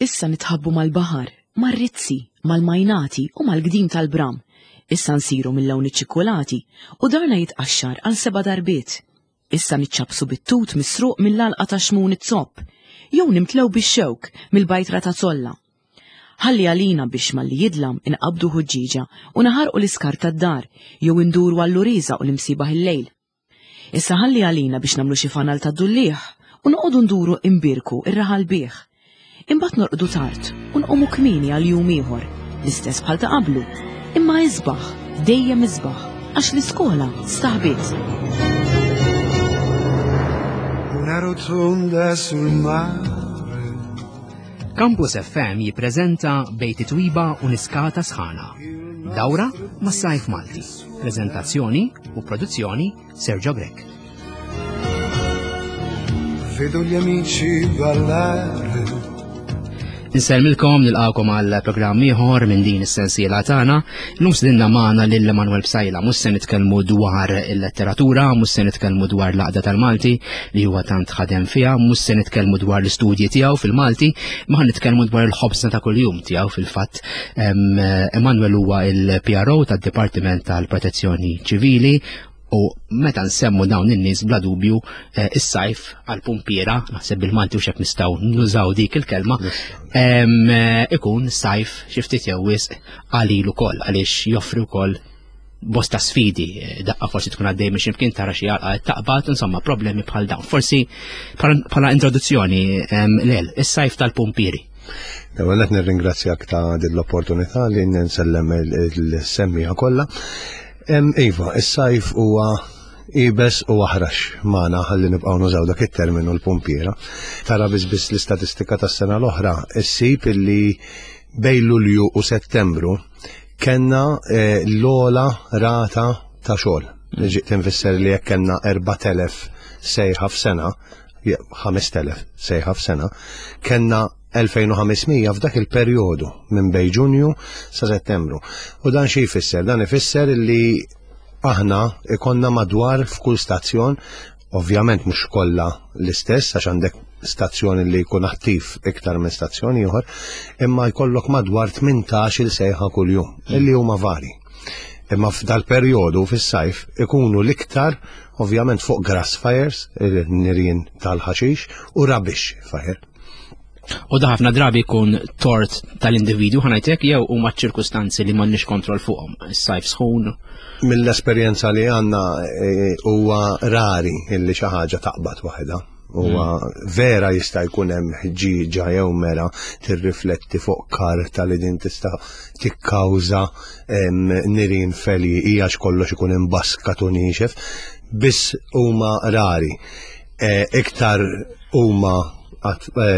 Issa nitħabbu mal-baħar, mar-rizzi, mal-majnati u mal-gdim tal-bram. Issa nsiru mill-lawn iċ-ċikkulati u darna jitqaxxar għal seba' darbiet. Issa niċċappsu bit-tut misruq mill-għalqa ta' Xmun iz-Zopp, jew nimtlew bix-xewk mill-bajtra ta' Zolla. Ħalli għalina biex malli jidlam inqabbdu ħuġġieġa u naħarqu l-iskart tad-dar jew induru għall-uriża u l-imsiebaħ il-lejl. Issa ħalli għalina biex nagħmlu xi fanal tad-dulliegħ u noqogħdu nduru imbierku r-raħal bih. Imbagħad norqdu tard u nqumu kmieni għal jum ieħor, l-istess bħal ta' qablu, imma isbaħ, dejjem isbaħ, għax l-iskola staħbiet. Una rotonda sul mare. Campus FM jippreżenta Bejt Twiba u Niskata Sħana. Dawra mas-Sajf Malti. Preżentazzjoni u produzzjoni Sergio Grech. Vedo gli amici ballare. Insellmilkom nilqawkom għal programm ieħor minn din is-sensiela tagħna. Illum sidinna magħna lil Emanuel Psajla mhux se nitkellmu dwar il-letteratura, mhux se nitkellmu dwar l-għaqda tal-Malti li huwa tant ħadem fiha, mhux se nitkellmu dwar l-istudji tiegħu fil-Malti, ma nitkellmu dwar il-ħobżna ta' kuljum tiegħu fil-fatt. Emanuel huwa il-PRO tad-Dipartiment tal-Protezzjoni Ċivili u meta nsemmu dawn in-nies bla dubju eh, is-sajf għal pumpiera, naħseb bil-Malti u xek nistgħu nużaw dik il-kelma, eh, ikun sajf xi ftit jew wisq għalil ukoll għaliex joffri wkoll bosta sfidi, eh, daqqa forsi tkun għaddej minn ximkien tara xi għalqa taqbad, insomma problemi bħal dawn. Forsi bħala introduzzjoni lel, is-sajf tal-pumpieri. L-ewwel qed nirringrazzjak ta' din l-opportunità li nsellem il-semmija kollha. Iva, is-sajf huwa ibes u aħrax magħna ħalli nibqgħu nużaw dak it-terminu l-pumpiera. Tara biss biss l-istatistika tas-sena l-oħra, issib illi bejn Lulju u Settembru kellna eh, l-ogħla rata ta' xogħol. Ġiet tinfisser li jekk kellna 4000 sejħa f'sena, 5000 sejħa f'sena, kellna 2500 f'dak il-perjodu minn bej Ġunju sa Settembru. U dan xi jfisser? Dan ifisser li aħna ikonna madwar f'kull stazzjon, ovvjament mhux kollha l-istess għax għandek stazzjon li jkun attiv iktar minn stazzjon ieħor, imma jkollok madwar 18 il sejħa kuljum, illi huma vari. Imma f'dal-perjodu fis-sajf ikunu l-iktar ovvjament fuq grass fires, nirien tal-ħaxix, u rubbish fire. U da ħafna drabi jkun tort tal-individwu ħanajtek jew huma ċirkustanzi li m'għandniex kontroll fuqhom, is-sajf sħun. Mill-esperjenza li għandna e, huwa rari illi xi ħaġa taqbad waħedha. Huwa mm. vera jista' jkun hemm ħġieġa jew mera tirrifletti fuq karta li din tista' tikkawża nirien feli hija kollox ikun imbaskat u niexef, biss huma rari. E, iktar huma e,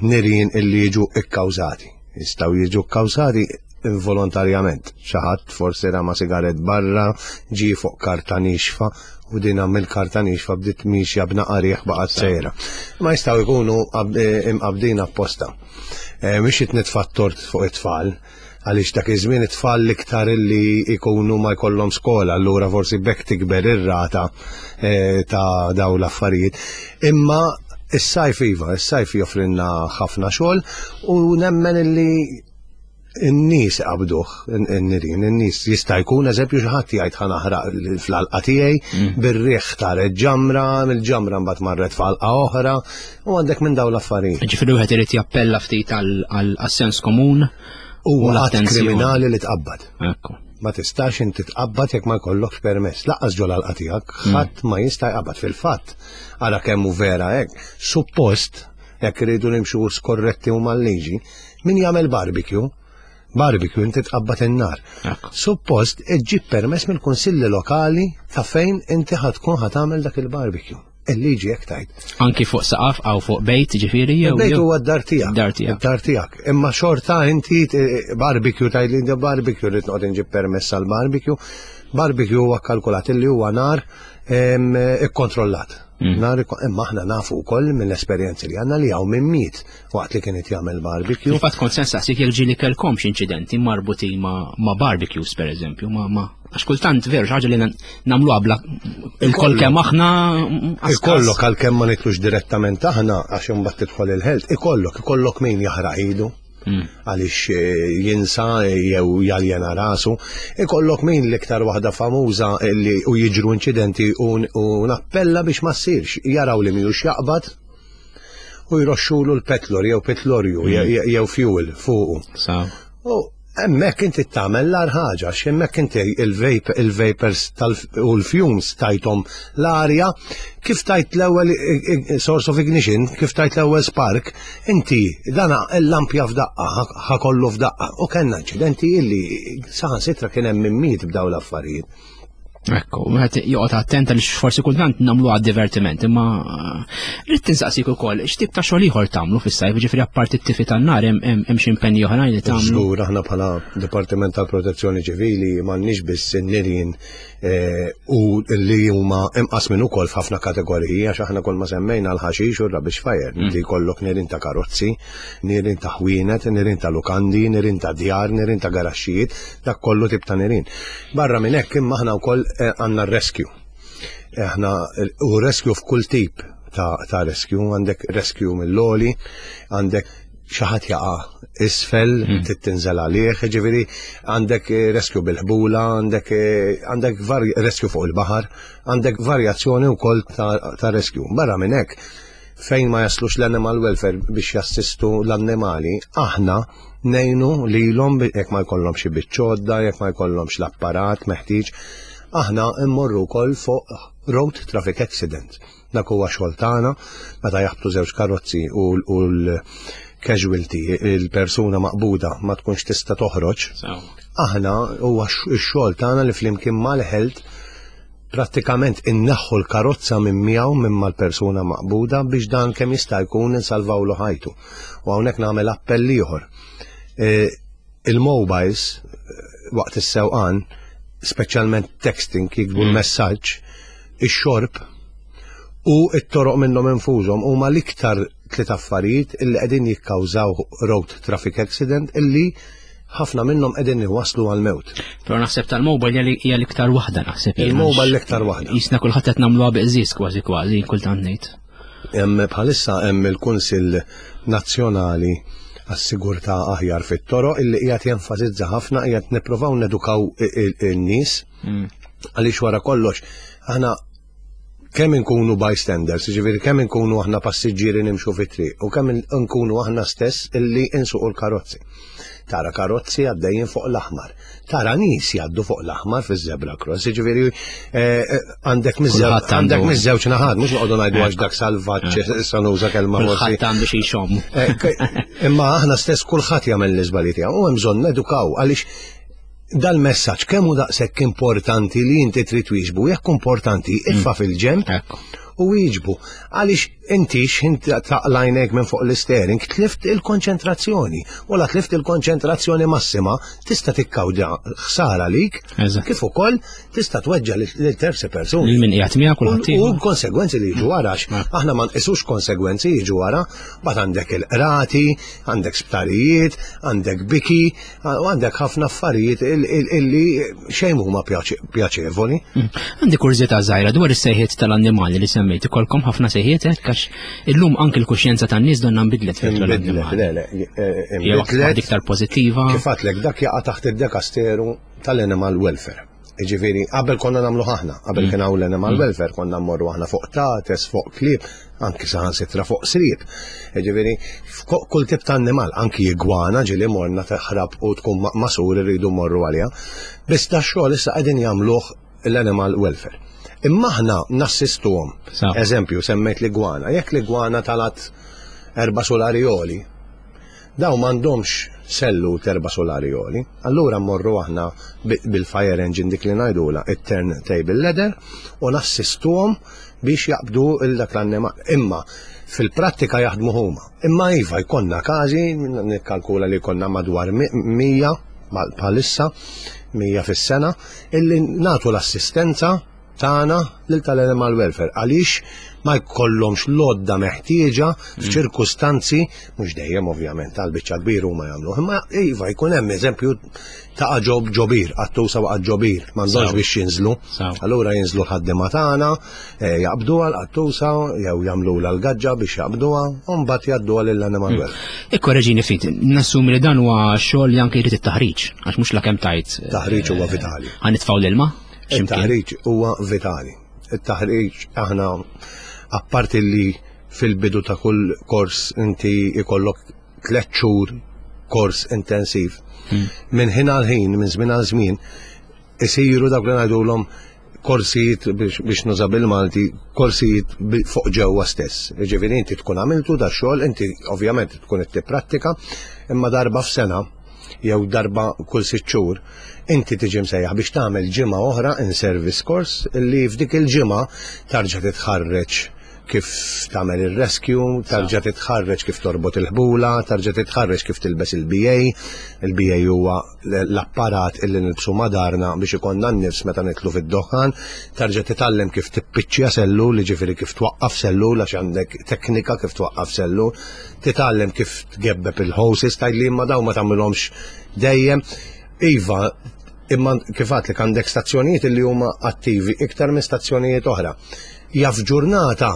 nirien illi jiġu ikkawżati. Jistgħu jiġu kkawżati involontarjament. Xi ħadd forsi rama sigaret barra, ġie fuq karta nixfa u din mill-karta nixfa bdiet mixja b'naqa riħ baqgħet sejra. Ma jistgħu jkunu eh, imqabdin apposta. Eh, mhix qed nitfa' tort fuq it-tfal, għaliex dak iż-żmien it-tfal l-iktar li jkunu ma jkollhom skola, allura forsi bekk tikber ir-rata eh, ta' daw l-affarijiet. Imma is-sajf iva, is-sajf joffrilna ħafna xogħol u nemmen illi in-nies iqabduh in-nirien, in-nies jista' jkun eżempju xi ħadd jgħid ħa naħraq fl-għalqa tiegħi mm. bir-riħ taret ġamra, mill-ġamra mbagħad marret f'għalqa oħra u għandek minn dawn l-affarijiet. Ġifieri wieħed irid jappella ftit għall-sens komun u l kriminali li tqabbad. Ekku. Ma tistax inti tqabbad jekk ma jkollokx permess. Laqqas ġol għalqa tiegħek, mm. ħadd ma jista' jqabbad fil-fatt. Ara kemm hu vera hekk. Suppost jekk iridu nimxu skorretti u mal-liġi, min jagħmel barbecue, barbecue inti tqabbad in-nar. Suppost iġġib permess mill-kunsilli lokali ta' fejn inti ħatkun ħatamel dak il-barbecue. Il-liġi hekk tgħid. Anki fuq saqaf għaw fuq bejt ġifieri jew. Bejt huwa d-dar tiegħek. Dar tiegħek. Dar tiegħek. Imma xorta inti eh, barbecue tgħid li barbecue rrid noqgħod inġib permess għal barbecue. Barbecue huwa kalkulat li huwa nar. Ikkontrollat. Nar imma aħna nafu wkoll mill-esperjenzi li għandna li hawn min miet waqt li kien qed jagħmel barbecue. Fil-fatt kont se nsaqsik jekk ġieli kellkomx inċidenti marbutin ma' barbecues pereżempju, ma' għax kultant veru xi ħaġa li nagħmluha bla il-koll kemm aħna Ikollok għalkemm ma nitlux direttament aħna għax imbagħad tidħol il-health, ikollok ikollok min jaħraq idu. Għaliex jinsa jew jaljena rasu. Ikollok min l-iktar waħda famuża li u jiġru inċidenti u nappella biex ma ssirx. Jaraw li mhijiex jaqbad u jroxxulu l-petlor jew petlorju jew fuel fuqu. U hemmhekk inti tagħmel l-agħar ħaġa għax hemmhekk inti il-vapors u l-fumes tajthom l-arja kif tajt l-ewwel source of ignition, kif tajt l-ewwel spark, inti dana l-lampja f'daqqa, ħa kollu f'daqqa. U kellna inċidenti illi saħansitra kien hemm min miet b'daw l-affarijiet. Ekku, wieħed joqgħod attent għaliex forsi kultant nagħmluha għad-divertiment, imma rrid tinsaqsik ukoll x'tip ta' xogħol ieħor tagħmlu fis-sajf, ġifieri apparti t-tifi tan-nar hemm xi impenji oħrajn li tagħmlu. Żgur aħna bħala Dipartiment tal-Protezzjoni Ċivili m'għandniex biss in-nirien u li huma imqasmin ukoll f'ħafna kategoriji għax aħna kull ma semmejna l-ħaxix u r-rubbish fire, inti jkollok nirien ta' karozzi, nirien ta' ħwienet, nirien ta' lukandi, nirien ta' djar, nirien ta' garaxxijiet, dak kollu tip ta' nirien. Barra minn hekk imma aħna wkoll għandna r-rescue. Aħna u rescue f'kull tip ta', ta rescue, għandek rescue mill-oli, għandek xi ħadd jaqa' isfel, trid tinżel għalih, ġifieri għandek rescue bil-ħbula, għandek għandek rescue fuq il-baħar, għandek varjazzjoni wkoll ta', ta rescue. Barra minn hekk, fejn ma jaslux l-animal welfare biex jassistu l-annimali, aħna ngħinu lilhom jekk ma jkollhomx xi biċċodda, jekk ma jkollhomx l-apparat meħtieġ, aħna mmorru wkoll fuq road traffic accident. Dak huwa xogħol tagħna meta jaħbtu żewġ karozzi u l-casualty, il-persuna maqbuda ma tkunx tista' toħroġ. Aħna huwa x-xogħol tagħna li flimkien mal-health prattikament inneħħu l-karozza minn miegħu minn mal-persuna maqbuda biex dan kemm jista' jkun insalvawlu ħajtu. U hawnhekk nagħmel appell ieħor. Il-mobiles waqt is-sewqan, speċjalment texting jiktbu l-messaġġ, ix-xorb u t-toroq minnhom infushom huma l-iktar tliet affarijiet illi qegħdin jikkawżaw road traffic accident illi ħafna minnhom qegħdin iwasslu għall-mewt. Però naħseb tal-mobile hija l-iktar waħda naħseb. Il-mobile l-iktar waħda. Jisna kulħadd qed nagħmluha biqżis kważi kważi kultant ngħid. Hemm bħalissa hemm il-Kunsill Nazzjonali għas-Sigurtà Aħjar fit-Toroq illi qiegħed jenfasizza ħafna qiegħed nippruvaw nedukaw in-nies għaliex wara kollox aħna kemm inkunu bystanders, jiġifieri kemm inkunu aħna passiġġieri nimxu fit-triq u kemm inkunu aħna stess illi insuqu l-karozzi. Tara karozzi għaddejjin fuq l-aħmar, tara nies jgħaddu fuq l-aħmar fiż-zebra cross, jiġifieri għandek miż-żewġ naħat, mhux noqogħdu ngħidu għax dak salvaġġ issa nuża kelma forsi. Kulħadd għandu xi jxomm. Imma aħna stess kulħadd jagħmel l-iżbalji tiegħu u hemm bżonn nedukaw għaliex dal-messaġġ kemm hu daqshekk importanti li inti trid twieġbu, jekk importanti itfa' fil-ġenb u wieġbu. Għaliex inti x'ħin taqlajnek minn fuq l-steering tlift il-konċentrazzjoni u la tlift il-konċentrazzjoni massima tista' tikkawġa ħsara lik kif ukoll tista' tweġġa' lil terzi persuni. Lil min qiegħed miegħek kulħadd. U konsegwenzi li jiġu wara aħna ma nqisux konsegwenzi jiġu wara, mbagħad għandek il-qrati, għandek sptarijiet, għandek biki, U għandek ħafna affarijiet illi xejn huma pjaċevoli. Għandi kurżità żgħira dwar is-sejħiet tal-annimali li semmejt. Ikolkom ħafna sejħiet hekk għax illum anki l-kuxjenza tan-nies donna nbidlet fil Nbidlet, le, le, nbidlet. Iktar pożittiva. Kif għadlek dak jaqa' taħt id-dekasteru tal-animal welfare. Jiġifieri, qabel konna nagħmlu aħna, qabel kien hawn l-animal welfare, konna mmorru aħna fuq tates, fuq klieb, anki saħansitra fuq sriep. Jiġifieri, kull tip ta' annimal, anki igwana ġieli morna taħrab u tkun masur irridu mmorru għaliha. Biss da xogħol issa qegħdin jagħmluh l-animal welfare. Imma aħna nassistuhom. Eżempju, semmejt l-igwana. Jekk l-igwana talat erba' sulari għoli, Dawn m'għandhomx sellu t'erba' sulari għoli. Allura mmorru aħna bil-fire engine dik li ngħidulha it-turn table ladder u nassistuhom biex jaqbdu 'l dak l-annimal. Imma fil-prattika jaħdmu huma. Imma iva jkollna każi, nikkalkula li jkollna madwar 100 bħalissa, 100 fis-sena, illi nagħtu l-assistenza. tagħna lil tal-animal welfare għaliex ma jkollhomx l-għodda meħtieġa f'ċirkustanzi mhux dejjem ovvjament għal biċċa kbir huma jagħmlu. Imma iva jkun hemm eżempju ta' ġob ġobir, qattusa waqgħet ġobir, m'għandhomx biex jinżlu. Allura jinżlu l-ħaddiema tagħna, eh, jaqbduha l-qattusa jew jagħmlulha l-gaġġa biex jaqbduha u mbagħad jgħadduha lill-animal hmm. welfare. Ikkoreġini ftit, nassumi li dan huwa xogħol li anke jrid it-taħriġ, għax mhux lakemm tajt. Eh, Taħriġ huwa vitali. Ħa nitfgħu l-ilma? Il-taħriġ huwa vitali. Il-taħriġ aħna apparti li fil-bidu ta' kull kors inti ikollok tlet xhur kors intensiv. Hmm. Minn ħin għal ħin, minn żmien għal żmien, isiru dawk li ngħidulhom korsijiet biex nuża bil-Malti, korsijiet fuq ġewwa stess. Ġifieri inti tkun għamiltu da xogħol, inti ovvjament tkun qed tipprattika, imma darba f'sena jew darba kull sitt xhur, inti tiġi msejjaħ biex tagħmel ġimgħa oħra in service course li f'dik il-ġimgħa tarġa' titħarreġ kif tagħmel ir-rescue, tarġa' titħarreġ kif torbot il-ħbula, tarġa' titħarreġ kif tilbes il-BA. Il-BA huwa l-apparat illi nilbsu madarna biex ikollna n-nifs meta nitlu fid-doħħan, tarġa' titgħallem kif tippiċċja sellul, jiġifieri kif twaqqaf sellul għax għandek teknika kif twaqqaf sellul, titgħallem kif tgebbeb il-hoses, tgħidli imma dawn ma tagħmilhomx dejjem. Iva, imma kif għadtlek għandek stazzjonijiet illi huma attivi iktar minn stazzjonijiet oħra. Jaf ġurnata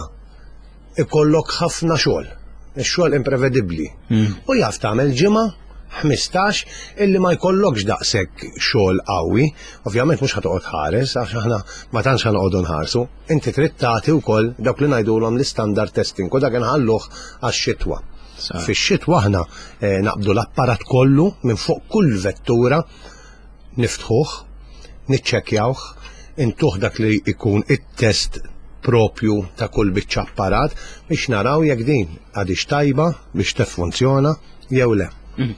ikollok ħafna xogħol, ix-xogħol imprevedibbli. Hmm. U jaf tagħmel ġimgħa 15 illi ma jkollokx daqshekk xogħol qawwi. Ovvjament mhux ħatoqgħod ħares għax aħna ma tantx ħanoqogħdu nħarsu. Inti trid tagħti wkoll dawk li ngħidulhom l-istandard testing u dak inħalluh għax-xitwa. Fix-xitwa aħna eh, naqbdu l-apparat kollu minn fuq kull vettura niftħuh, niċċekkjawh, intuh dak li jkun it-test propju ta' kull biċċa apparat biex naraw jekk din għadix tajba biex tiffunzjona jew le. Mhm.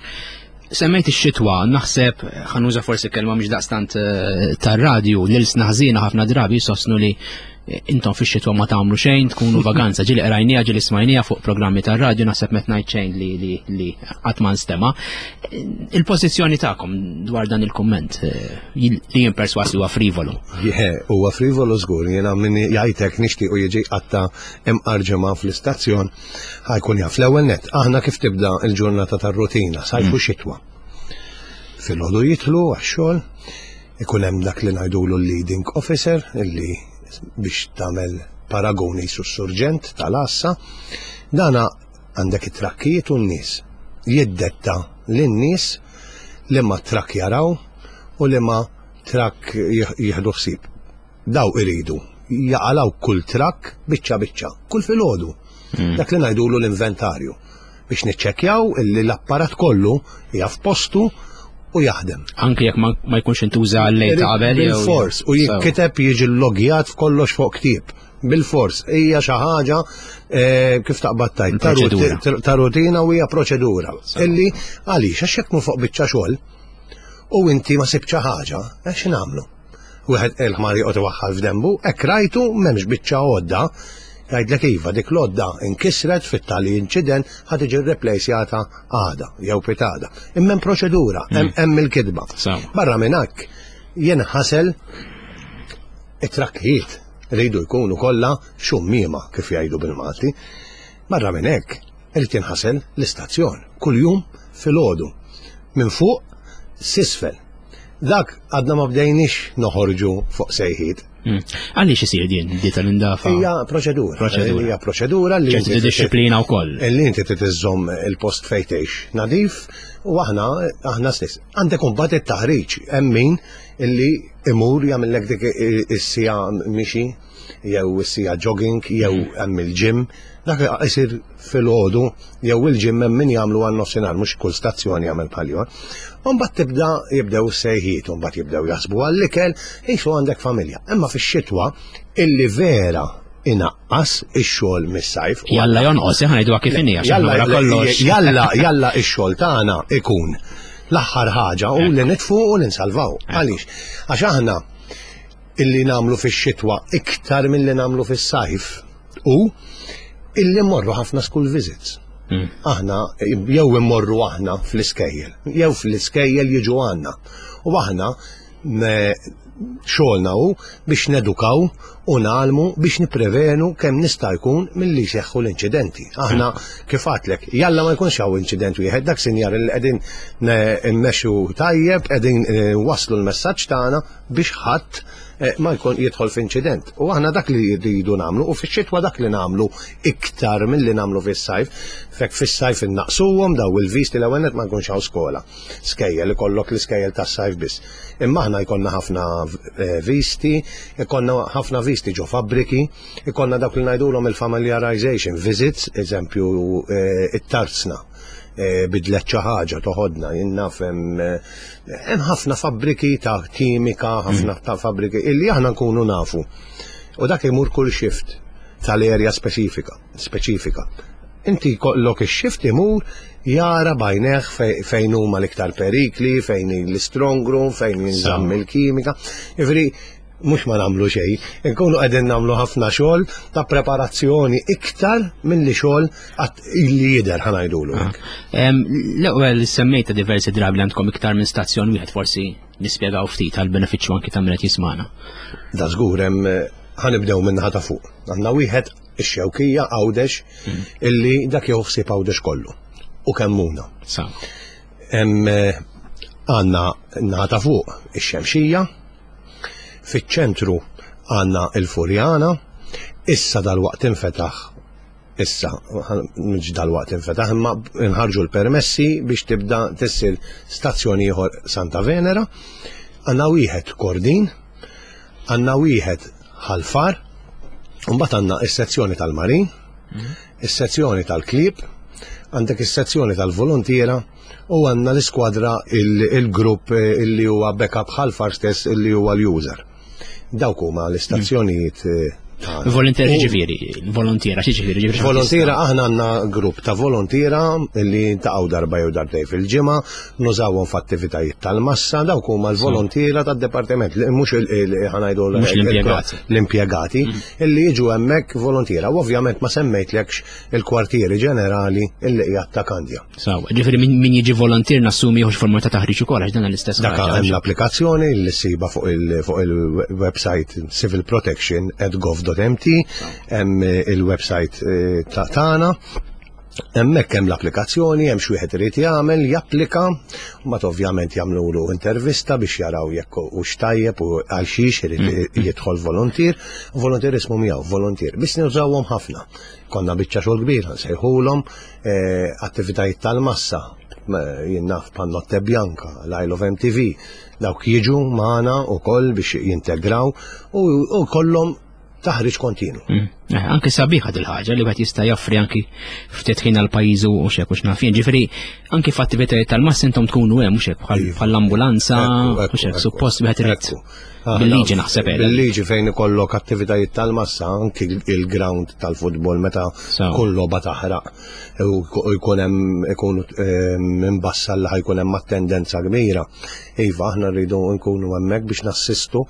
Semmejt ix-xitwa, naħseb ħanuża forsi kelma mhix daqstant eh, tar-radju lil ħażina ħafna drabi jsostnu li intom fix-xitwa ma tagħmlu xejn, tkunu vaganza, ġieli qrajnija, ġieli smajnija fuq programmi tar-radju, naħseb met ngħid xejn li li li qatt ma nstema. Il-pożizzjoni tagħkom dwar dan il-kumment eh, li jien perswas li huwa frivolu. Huwa frivolu żgur, jiena min jgħidlek nixtiequ jiġi qatta imqar ġimgħa fl-istazzjon ħajkun jaf l-ewwel net. Aħna kif tibda l-ġurnata tar-rutina, sajfu mm. xitwa. Filgħodu jidħlu għax-xogħol, Ikun hemm dak li ngħidulu l-leading officer illi biex tagħmel paragoni su surġent tal-għassa. Dana għandek it-trakkijiet u n-nies. Jiddetta lin-nies li ma trakk jaraw u li ma trakk jieħdu ħsieb. Daw iridu jaqalaw kull trakk biċċa biċċa, kull filgħodu. Hmm. Dak li ngħidulu l-inventarju. biex niċċekkjaw illi l-apparat kollu hija f'postu u jaħdem. Anki jekk ma jkunx intuża lejl ta' qabel. Bil-fors u jinkiteb jiġi logjat f'kollox fuq ktieb. Bil-fors hija xi ħaġa eh, kif taqbad tajt ta' rutina u hija proċedura. Illi għaliex għax jekk fuq biċċa xogħol u inti ma sibx ħaġa, eh, x'nagħmlu? Wieħed il-ħmar joqgħod iwaħħal f'dembu, hekk rajtu m'hemmx biċċa għodda, jgħidlek iva dik l-għodda inkisret fit-tali inċident ħa tiġi rreplejsjata għada jew pitada. Imma hemm proċedura, hmm. hemm il-kitba. Barra minn hekk jenħasel it-trakkijiet rridu jkunu kollha xummiema kif jgħidu bil-Malti. Barra minn hekk irid jinħasel l-istazzjon kuljum filgħodu minn fuq s'isfel. Dak għadna ma bdejniex noħorġu fuq sejħiet. Hmm. Għaliex isir din di tal-indafa? Hija proċedura. Proċedura. Hija proċedura li. ċerti disċiplina wkoll. Li inti trid iżżomm il-post fejn tgħix nadif u aħna aħna stess. Għandek imbagħad it-taħriġ hemm min illi imur jagħmellek dik is-sija mixi jew is-sija jogging jew hmm. hemm il-gym. Dak isir filgħodu jew il-gym hemm min jagħmlu għal nofsinhar mhux kull stazzjoni jagħmel bħal ieħor. U mbagħad tibda jibdew is-sejħiet, u mbagħad jibdew jaħsbu għall-ikel, qisu għandek familja. Imma fix-xitwa illi vera inaqqas ix-xogħol mis-sajf. Jalla jonqos, eh, ħa ngħiduha kif inhi għax Jalla wara kollox. Jalla jalla ix-xogħol tagħna ikun l-aħħar ħaġa u li nitfu u li nsalvaw. Għaliex? Għax aħna illi nagħmlu fix-xitwa iktar milli nagħmlu fis-sajf u illi mmorru ħafna school visits. Mm. Aħna jew immorru aħna fl-iskejjel, jew fl-iskejjel jiġu għandna. U aħna Xogħolna hu biex nedukaw u ngħallmu biex nipprevenu kemm nista' jkun milli jseħħu l-inċidenti. Aħna kif għadtlek, jalla ma jkunx hawn inċident wieħed, dak sinjar li qegħdin mmexxu tajjeb, qegħdin eh, waslu l-messaġġ tagħna biex ħadd eh, ma jkun jidħol f'inċident. U aħna dak li rridu nagħmlu u fix-xitwa dak li nagħmlu iktar milli nagħmlu fis-sajf. Fek fis-sajf innaqsuhom daw il-visti l-ewwel ma jkunx hawn skola. Skejjel ikollok l-iskejjel tas-sajf biss. Imma aħna jkollna ħafna eh, visti, ikollna ħafna visti ġo fabbriki, ikollna dawk li ngħidulhom il-familiarization visits, eżempju eh, it-tarzna eh, bidlet xi ħaġa toħodna, jien naf hemm ħafna fabbriki ta' kimika, ħafna mm. ta' fabbriki illi aħna nkunu nafu. U dak imur kull shift tal-erja speċifika. Speċifika. Inti jkollok ix-shift imur jara b'għajnejh fejn huma l-iktar perikli, fejn l-strong room, fejn jinżamm il-kimika. Jiġifieri mhux ma nagħmlu xejn, inkunu qegħdin nagħmlu ħafna xogħol ta' preparazzjoni iktar milli xogħol illi jidher ħa ngħidulu. Ah. L-ewwel semmejta diversi drabi li għandkom iktar minn stazzjon wieħed forsi nispjegaw ftit għal benefiċċju anki ta' min qed jismana. Da żgur hemm ħanibdew minn naħa ta' fuq. Għandna wieħed ix-Xewkija Għawdex mm. illi dak jieħu ħsieb Għawdex kollu u Kemmuna. Hemm eh, għandna naħa ta' fuq ix-Xemxija, fiċ-ċentru għandna il-Furjana, issa dal-waqt infetaħ issa mhux dal-waqt infetaħ imma nħarġu l-permessi biex tibda tissir stazzjoni ieħor Santa Venera, għandna wieħed Kordin, għandna wieħed Ħal Far, mbagħad għandna is-sezzjoni tal-marin, is-sezzjoni tal-klieb, għandek is-sezzjoni tal-volontiera u għandna l-iskwadra il-grupp eh, illi huwa backup Ħal Far stess illi huwa l-user. Dawk huma l-istazzjonijiet eh, Volontiera ġifieri, volontiera ġifieri, ġifieri. Volontiera aħna għandna grupp ta' volontiera li ntaqgħu darba jew darbtej fil-ġimgħa, nużawhom f'attivitajiet tal-massa, dawk huma l-volontiera tad-dipartiment, mhux ħanajdu l-impjegati. L-impjegati mm. illi jiġu hemmhekk volontiera. U ovvjament ma semmejtlekx il-kwartieri ġenerali illi qiegħed ta' Kandja. Sawa, ġifieri min jiġi volontier nassumi jieħu forma ta' taħriġ ukoll għax dan l-istess. Dak hemm l-applikazzjoni li ssiba fuq il-website civilprotection@gov.mt, hemm il-website eh, ta' tagħna. Hemmhekk hemm l-applikazzjoni, hemm xi wieħed irid jagħmel, japplika, mbagħad ovvjament jagħmlulu intervista biex jaraw jekk hux tajjeb u għal xiex irid mm. jidħol volontier. Volontier ismu miegħu, volontier. Biss nużawhom ħafna. Konna biċċa xogħol kbira, nsejħulhom eh, attivitajiet tal-massa, jien naf bħal Notte Bianca, l-Isle of MTV, dawk jiġu magħna wkoll biex jintegraw u kollhom taħriġ kontinu. Mm. Eh, anki sabiħa dil-ħaġa li wieħed jista' joffri anki ftit ħin għal pajjiżu u xek u xnaf jien. Ġifieri anki f'attivitajiet tal-massa intom tkunu hemm mhux hekk iva. bħall-ambulanza u xek suppost wieħed irid. Bil-liġi naħseb qiegħda. Bil-liġi fejn ikollok attivitajiet tal-massa, anki il-ground tal-futbol meta kull logħba taħraq u jkun hemm ikun ehm, imbassal li ħajkun hemm attendenza kbira. Iva, aħna rridu nkunu hemmhekk biex nassistu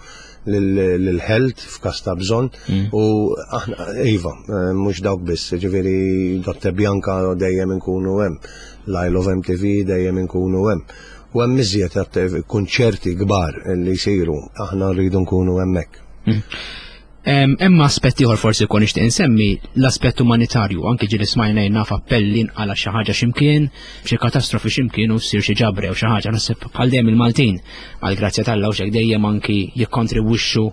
lil-health f'każ ta' bżonn mm. u aħna iva, eh, mhux dawk biss, ġifieri Dotte Bianca dejjem inkunu hemm, l-Isle of MTV dejjem inkunu hemm. U hemm iżjed kunċerti kbar li jsiru, aħna rridu nkunu hemmhekk. Mm. Hemm aspett ieħor forsi jkun nixtieq insemmi l-aspett umanitarju, anki ġieli smajna naf appelli nqala xi ħaġa x'imkien, xi katastrofi x'imkien u ssir xi ġabra jew xi ħaġa naħseb bħal dejjem il-Maltin għal grazzja t'Alla u xek dejjem anki jikkontribwixxu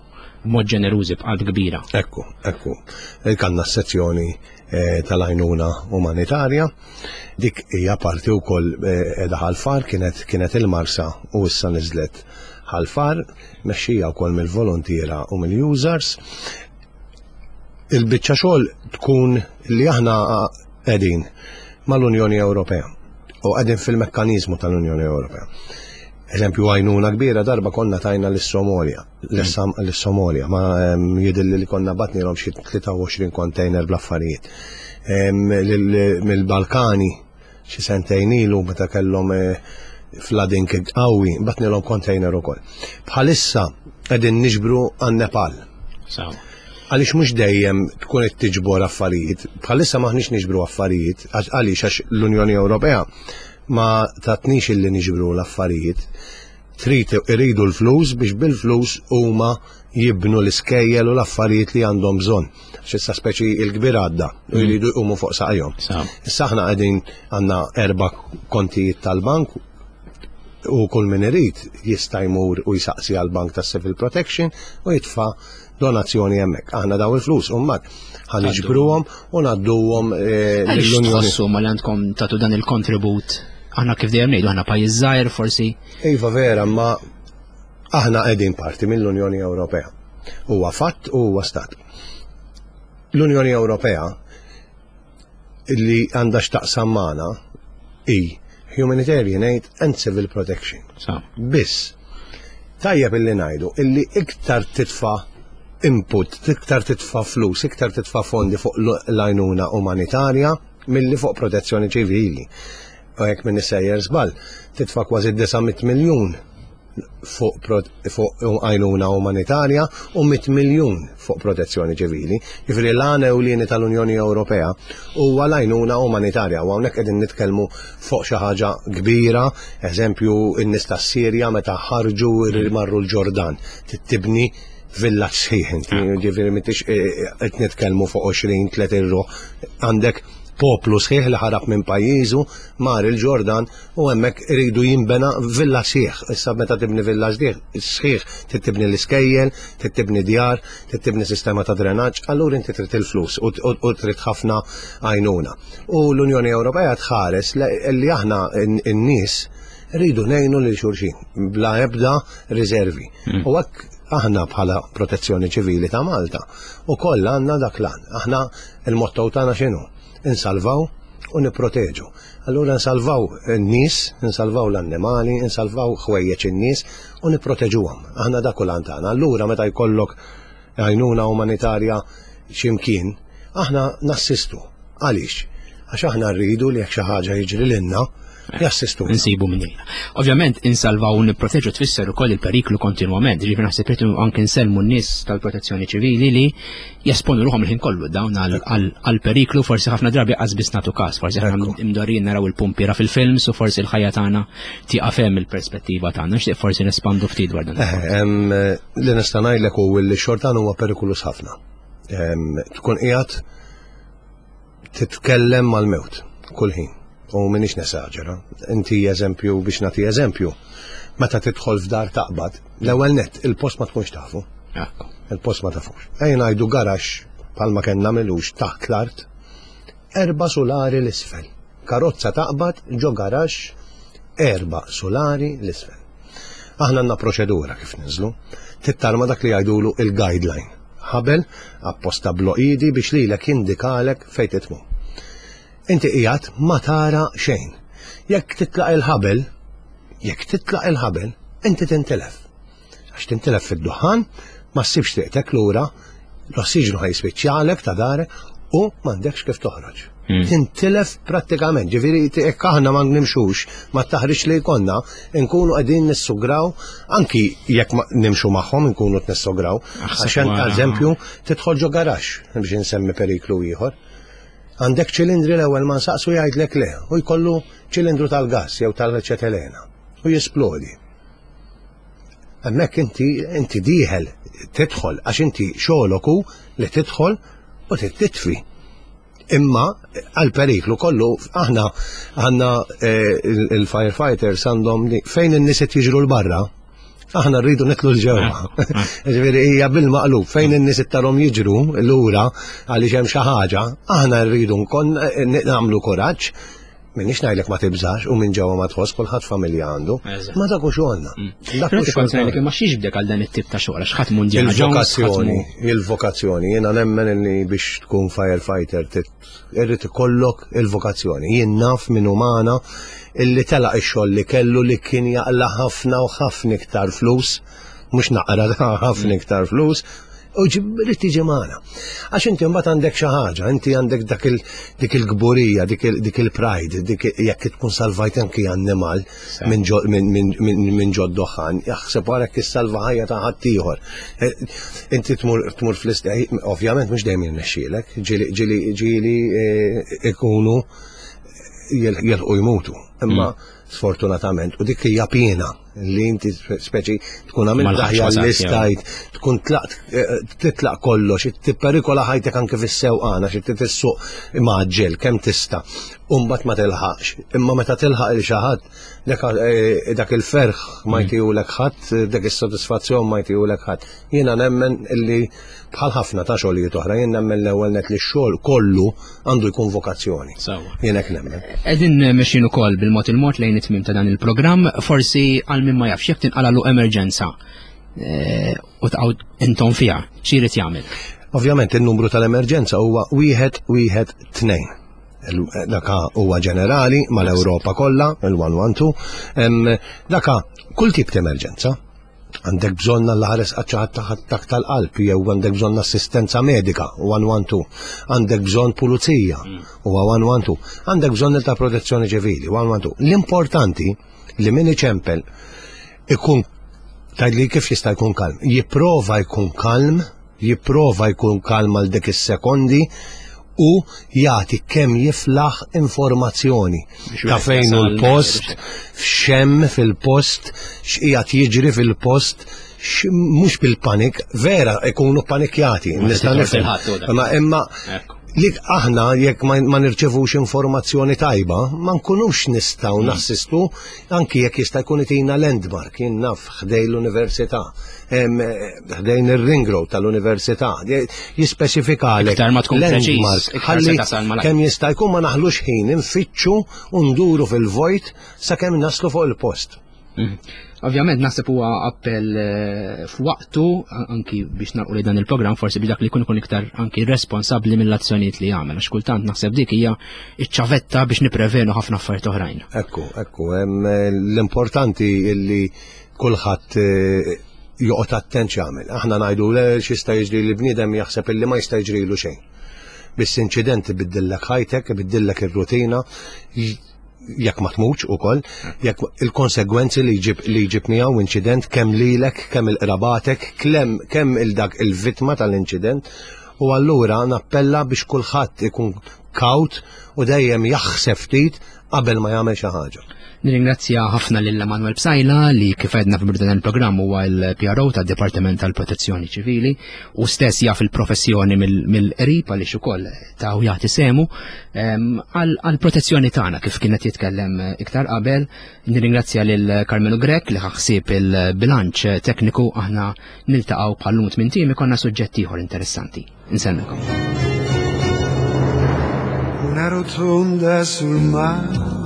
b'mod ġenerużi b'qalb kbira. Ekku, ekku. Kanna sezzjoni eh, tal-għajnuna umanitarja. Dik hija parti wkoll eh, qiegħda Ħal-Far kienet kienet il-Marsa u issa niżlet Ħal-Far, mexxija wkoll mill-volontiera u mill-users. Il-biċċa xogħol tkun li aħna qegħdin mal-Unjoni Ewropea u qegħdin fil-mekkaniżmu tal-Unjoni Ewropea. Eżempju għajnuna kbira darba konna tajna lis-Somalja l-Somalia, ma jidilli li konna batnilhom xi 23 container bl-affarijiet. Mill-Balkani xi sentejn ilu meta kellhom eh, flooding qawwi, batnilhom container ukoll. Bħalissa qegħdin niġbru għan-Nepal. Għaliex mhux dejjem tkun qed tiġbor affarijiet. Bħalissa maħniex niġbru affarijiet, għaliex għax l-Unjoni Ewropea ma tatnix illi niġbru l-affarijiet. Trid iridu l-flus biex bil-flus huma jibnu l-iskejjel u l-affarijiet li għandhom bżonn. Għax issa speċi il-kbir għadda u jridu jqumu fuq saqajhom. Issa aħna qegħdin għandna erba' kontijiet tal-bank u kull min irid jista' jmur u jsaqsi għall-bank tas-Civil Protection u jitfa' donazzjoni hemmhekk. Aħna daw il-flus u mbagħad ħa niġbruhom u ngħadduhom eh, lill-Unjoni. Tħossu ma li għandkom tagħtu dan il-kontribut aħna kif dejjem ngħidu aħna pajjiż żgħir forsi. Iva vera, ma aħna qegħdin parti mill-Unjoni Ewropea. Huwa fatt u huwa stat. L-Unjoni Ewropea li għandha x'taqsam magħna hi humanitarian aid and civil protection. Biss, tajjeb illi ngħidu illi iktar titfa' input, iktar titfa' flus, iktar titfa' fondi fuq l-għajnuna umanitarja milli fuq protezzjoni ċivili. U jekk minn sejjer żball, titfa' kważi 900 miljun fuq għajnuna umanitarja u 100 miljun fuq protezzjoni ċivili. Jiġifieri l-għan ewlieni tal-Unjoni Ewropea huwa l-għajnuna umanitarja u hawnhekk qegħdin nitkellmu fuq xi ħaġa kbira, eżempju n-nies tas-Sirja meta ħarġu marru l-Ġordan, tibni villaġġ sħiħ inti, ġifieri m'intix eh, eh, qed nitkellmu fuq 20 30 ruħ, għandek poplu sħiħ li ħarab minn pajjiżu mar il-Ġordan u hemmhekk iridu jinbena villa sħiħ. Issa meta tibni villa sħiħ, trid tibni l-iskejjel, trid tibni djar, trid tibni sistema ta' drenaġġ, allura inti trid il-flus u trid ħafna għajnuna. U l-Unjoni Ewropea tħares li aħna n-nies rridu ngħinu lil xulxin bla ebda riservi. Hmm. U hekk aħna bħala Protezzjoni Ċivili ta' Malta u koll għandna dak l-għan. Aħna il-motto tagħna x'inhu? Insalvaw u nipproteġu. Allura nsalvaw n-nies, nsalvaw l-annimali, nsalvaw ħwejjeġ in-nies u nipproteġuhom. Aħna dak hu l-għan tagħna. Allura meta jkollok għajnuna umanitarja x'imkien, aħna nassistu. Għaliex? Għax aħna rridu li jekk xi ħaġa jiġri lilna, jassistu. Nsibu minn jgħinna. Ovvjament, insalvaw u nipproteġu tfisser ukoll il-periklu kontinwament, ġifieri naħseb irridu anke nsellmu n-nies tal-protezzjoni ċivili li jesponu ruħhom il-ħin kollu dawn għal-periklu forsi ħafna drabi qas biss nagħtu każ, forsi aħna imdorrijin naraw il-pumpiera fil-films u forsi l-ħajja tagħna tieqaf hemm il-perspettiva tagħna, nixtieq forsi nespandu ftit dwar dan. Eh, li nista' ngħidlek hu li xortan huwa perikulus ħafna. Tkun qiegħed titkellem mal-mewt kull ħin. U minix nesaġera. Inti eżempju biex nagħti eżempju. Meta tidħol f'dar taqbad, l-ewwel net il-post ma tkunx tafu. Il-post ma tafux. Ejja ngħidu garax bħalma kellna milux taħt l-art, erba' sulari l-isfel. Karozza taqbad ġo garax erba' sulari l-isfel. Aħna għandna proċedura kif ninżlu. Tittarma dak li jgħidulu il-guideline. Ħabel apposta bloqidi biex lilek jindikalek fejn titmu. Inti qiegħed ma tara xejn. Jekk titlaq il-ħabel, jekk titlaq il-ħabel, inti tintilef. Għax tintilef fid-duħan, ma ssibx triqtek lura, l-ossiġnu ħajspiċċalek ta' darek u m'għandekx kif toħroġ. Hmm. Tintilef prattikament, ġifieri jekk aħna ma nimxux ma taħriġ li jkollna, nkunu qegħdin nissugraw anki jekk nimxu magħhom nkunu nissugraw. Għax eżempju tidħol ġo garax biex insemmi periklu ieħor. Għandek ċilindri l-ewwel ma nsaqsu jgħidlek le u jkollu ċilindru tal-gass jew tal-ċetelena u jisplodi. Hemmhekk inti inti dieħel tidħol għax inti xogħlok hu li tidħol u titfi. Imma għal periklu kollu aħna għandna eh, il-firefighters għandhom fejn in-nies qed jiġru l-barra, aħna rridu nitlu l-ġewwa. Ah, ah. Ġifieri hija bil-maqlub fejn in-nies tarhom jiġru lura għaliex hemm xi ħaġa, aħna rridu nkun eh, nagħmlu kuraġġ Minix ngħidlek ma tibżax u minn ġewwa ma tħoss kulħadd familja għandu. Ma dak hu xogħolna. Mm. Dak hu xogħolna. Ma xiex bdek għal dan it-tip ta' xogħol għax ħadd Indiana Il-vokazzjoni, il-vokazzjoni. Jiena nemmen li biex tkun firefighter irrid ikollok il-vokazzjoni. Jien naf minn umana illi telaq ix-xogħol li kellu li kien jaqla ħafna u ħafna iktar flus, mhux naqra ħafna mm. iktar flus, U rrid tiġi magħna. Għax inti mbagħad għandek xi ħaġa, inti għandek dak il dik il-kburija, dik il-pride, dik jekk tkun salvajt anki annimal minn ġod doħan, jaħseb wara jekk issalva ħajja ta' ħaddieħor. Eh, inti tmur tmur fl eh, ovvjament mhux dejjem jirnexxielek, ġieli ġieli eh, ikunu jilħqu jmutu. Imma mm. sfortunatament, u dik hija piena. li inti speċi tkun għamilt l-aħjar li stajt, tkun tlaqt eh, titlaq kollox, tipperikola ħajtek anke fis-sewqana xi tissuq maġġel kemm tista' u mbagħad ma tilħaqx. Imma meta tilħaq il xi ħadd eh, dak il-ferħ ma mm. jtihulek ħadd, dak is-sodisfazzjon ma jtihulek ħadd. Jiena nemmen illi bħal ħafna ta' xogħlijiet oħra, jien nemmen l-ewwel net li x-xogħol kollu għandu jkun vokazzjoni. Jien hekk nemmen. Qegħdin mexjin ukoll bil-mod il-mod lejn it-tmiem ta' dan il-programm, forsi għal min ma jafx jekk tinqalalu emerġenza eh, u taqgħu intom fiha, xi jrid jagħmel? Ovvjament in-numru tal-emerġenza huwa wieħed wieħed tnejn. Daka huwa ġenerali mal-Ewropa kollha, il-112. Daka kull tip ta' emerġenza. Għandek bżonn Alla ħares qatt xi ħadd attakk tal-qalb jew għandek bżonn assistenza medika, 112. Għandek bżonn pulizija, mm. huwa 112. Għandek bżonn ta' protezzjoni ċivili, 112. L-importanti li min iċempel ikun tgħidli kif jista' jkun kalm. Jipprova jkun kalm, jipprova jkun kalm għal dik is-sekondi u jagħti kemm jiflaħ informazzjoni ta' fejn hu l-post, f'xemm fil-post, x'qiegħed jiġri fil-post, mhux bil-panik, vera ikunu panikjati, nista' nifhem. Imma li aħna jekk ma nirċevux informazzjoni tajba, ma nkunux nistgħu mm. nassistu anki jekk jista' jkun itina landmark, jien naf ħdej l-università, ħdejn ir-ring road tal-università, jispeċifikalek. Iktar ma tkun preċiż, ħalli kemm jista' jkun ma naħlux ħin infittxu u nduru fil-vojt sakemm naslu fuq il-post. Mhm. Ovvjament naħseb huwa appell eh, f'waqtu anki biex narqu li dan il-programm forsi biex dak li jkun ikun iktar anki responsabbli mill-azzjonijiet li jagħmel għax kultant naħseb dik hija iċ-ċavetta biex niprevenu ħafna affarijiet oħrajn. Ekku, ekku, eh, l-importanti illi kulħadd eh, joqgħod attent x'jagħmel. Aħna ngħidu le x'jista' jiġri li bniedem jaħseb illi ma jista' jiġrilu xejn. Biss inċident ibiddillek ħajtek, ibiddillek ir-rutina, jekk ma tmutx ukoll, jekk il-konsegwenzi li jġib li jġib miegħu inċident kemm lilek, kemm il-qrabatek, kemm il-dak il-vittma tal-inċident, u allura nappella biex kulħadd ikun kawt u dejjem jaħseb ftit qabel ma jagħmel xi ħaġa. Nirringrazzja ħafna lil Emanuel Psajla li kif għedna fil dan il-programm huwa l-PRO tad-Dipartiment tal-Protezzjoni Ċivili u stess jaf il-professjoni mill-qrib għaliex ukoll ta' u jagħti semu ehm, għall-protezzjoni tagħna kif kienet jitkellem iktar qabel. Nirringrazzja lil Carmelo Grek li ħaħsieb il-bilanċ tekniku aħna niltaqgħu bħal-lum tmien tim ikonna suġġett ieħor interessanti. Insellmilkom. Una rotonda sul mare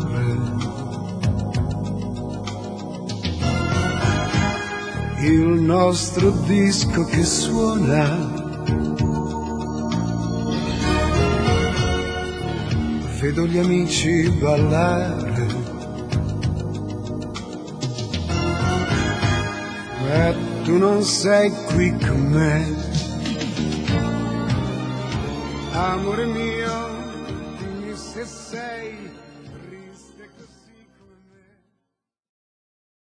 Il nostro disco che suona Vedo gli amici ballare Ma tu non sei qui con me. Amore mio, dimmi se sei.